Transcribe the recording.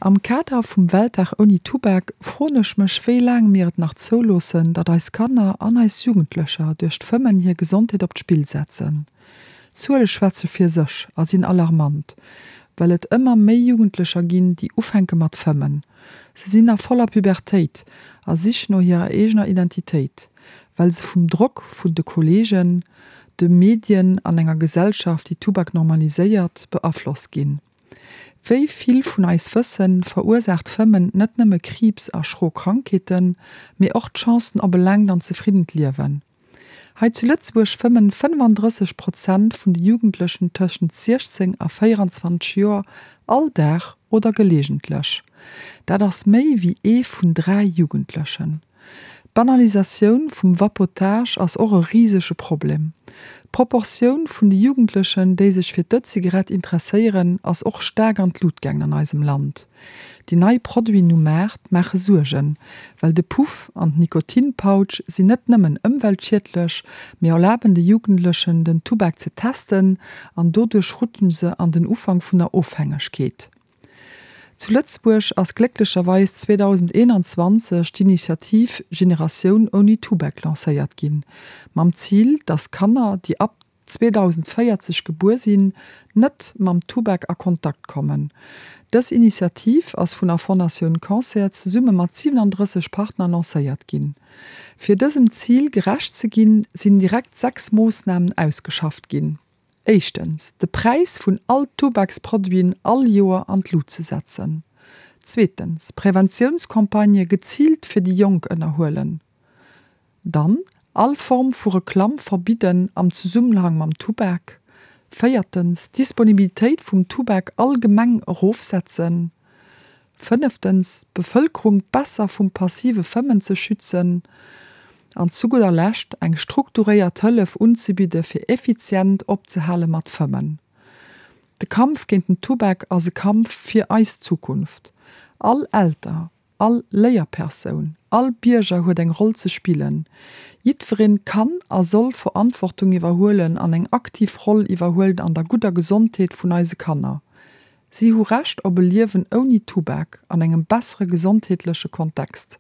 Am Kader vum Weltdag ouni Tubak froen ech mech wéi laang mir et nach zouloossen, datt eis Kanner an eis Jugendlecher duerch d'Fëmmen hir Gesondheet op d'Spill setzen. D'Zuele schwätze fir sech a sinn alarmant, well et ëmmer méi Jugendlecher ginn, déi ufänke mat fëmmen. Se sinn a voller Pubertéit a Sich no hirer eegener Identitéit, well se vum Drock vun de Kolleegen, de Medien an enger Gesellschaft, déi Tubak normaliséiert, beaflosst ginn. Wéi vill vun eis wëssen, verursaacht Fëmmen net nëmme Kriibs a schro Krankheeten, mee och d'Chancen op e laangt an zefriddent Liewen. Hei zu Lëtzebuerg fëmmen 35 Prozent vun de Jugendlechen tëschent 16 a 24 Joer all Dag oder geleegentlech. Dat ass méi wéi ee vun 3 Jugendlechen. D'Banalisatioun vum Vapotage ass och e risege Problem. D'Proportioun vun de Jugendlechen, déi sech fir d'E-Zigarett interesséieren, ass och staark an d'Lut gaangen an eisem Land. Déi nei Produiten um Maart maache Suergen, well de Puff an d'Nikotinpouch sinn net nëmmen ëmweltschiedlech, mee erlaben de Jugendlechen den Tubak ze testen an doduerch rutschen se an den Ufank vun der Ofhängegkeet. Zu Lëtzebuerg ass glécklecherweis 2021 d'Initiativ Generatioun ouni Tubak lancéiert ginn, mam Zil, dass Kanner, déi ab 2040 gebuer sinn, net mam Tubak a Kontakt kommen. Dës Initiativ ass vun der Fondatioun Cancer zesumme mat 37 Partner lancéiert ginn. Fir dësem Zil gerecht ze ginn, sinn direkt 6 Moossnamen ausgeschafft ginn. Éischtens, de Präis vun all Tubaksproduiten all Joer an d'Lut ze setzen. Zweetens, Preventiounscampagnë geziilt fir déi Jonk ënnerhuelen. Dann, all Form vu Reklamm verbidden am Zesummenhang mam Tubak. Véiertens, d'Disponibilitéit vum Tubak allgemeng erofsetzen. Fënneftens, d'Bevëlkerung besser vum passive Fëmmen ze schützen. An zu gudder Lescht, eng strukturéiert Hëllef unzebidde fir effizient opzehale mat fëmmen. De Kampf géint den Tubak ass e Kampf fir eis Zukunft. All Elter, all Léierpersoun, all Bierger huet eng Roll ze spillen. Jiddwereen kann a soll Verantwortung iwwerhuelen an eng aktiv Roll iwwerhuelen an der gudder Gesondheet vun eise Kanner. Si hu Recht op e Liewen ouni Tubak an engem bessere gesondheetleche Kontext.